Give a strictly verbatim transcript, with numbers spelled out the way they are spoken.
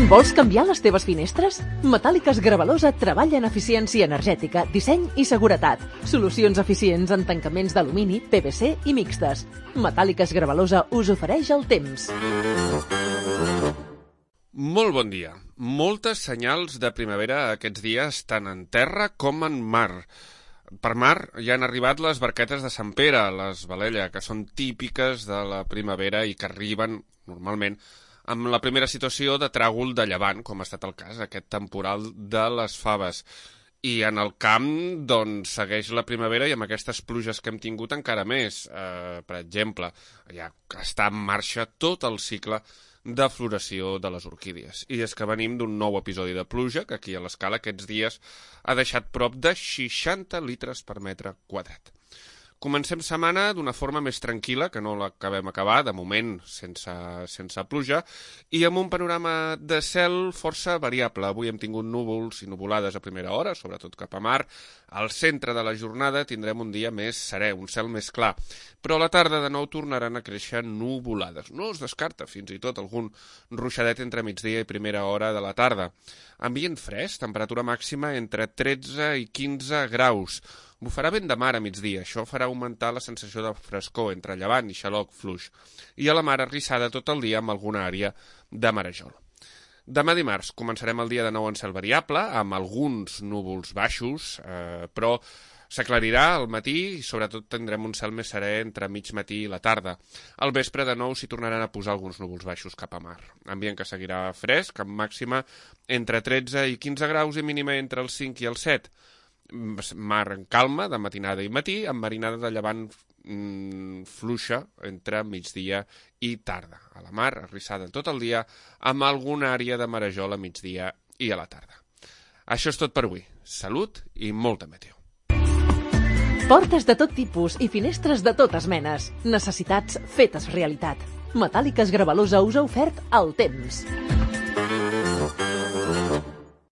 Vols canviar les teves finestres? Metàl·liques Gravalosa treballa en eficiència energètica, disseny i seguretat. Solucions eficients en tancaments d'alumini, P V C i mixtes. Metàl·liques Gravalosa us ofereix el temps. Molt bon dia. Moltes senyals de primavera aquests dies, tant en terra com en mar. Per mar ja han arribat les barquetes de Sant Pere, les Valella, que són típiques de la primavera i que arriben, normalment, amb la primera situació de tràgol de llevant, com ha estat el cas, aquest temporal de les faves. I en el camp, doncs, segueix la primavera i amb aquestes pluges que hem tingut encara més. Eh, per exemple, ja està en marxa tot el cicle de floració de les orquídies. I és que venim d'un nou episodi de pluja, que aquí a l'Escala aquests dies ha deixat prop de seixanta litres per metre quadrat. Comencem setmana d'una forma més tranquil·la, que no l'acabem acabar, de moment sense, sense pluja, i amb un panorama de cel força variable. Avui hem tingut núvols i nuvolades a primera hora, sobretot cap a mar. Al centre de la jornada tindrem un dia més serè, un cel més clar, però a la tarda de nou tornaran a créixer nuvolades. No es descarta fins i tot algun ruixadet entre migdia i primera hora de la tarda. Ambient fresc, temperatura màxima entre tretze i quinze graus. Bufarà vent de mar a migdia, això farà augmentar la sensació de frescor entre llevant i xaloc fluix, i a la mar arrissada tot el dia amb alguna àrea de marejol. Demà dimarts començarem el dia de nou en cel variable, amb alguns núvols baixos, eh, però s'aclarirà al matí i sobretot tindrem un cel més serè entre mig matí i la tarda. Al vespre de nou s'hi tornaran a posar alguns núvols baixos cap a mar. Ambient que seguirà fresc, amb màxima entre tretze i quinze graus i mínima entre els cinc i els set. Mar en calma, de matinada i matí, amb marinada de llevant mm, fluixa entre migdia i tarda. A la mar, arrissada tot el dia, amb alguna àrea de marejol a migdia i a la tarda. Això és tot per avui. Salut i molta meteo. Portes de tot tipus i finestres de totes menes. Necessitats fetes realitat. Metàl·liques Gravalosa us ha ofert el temps.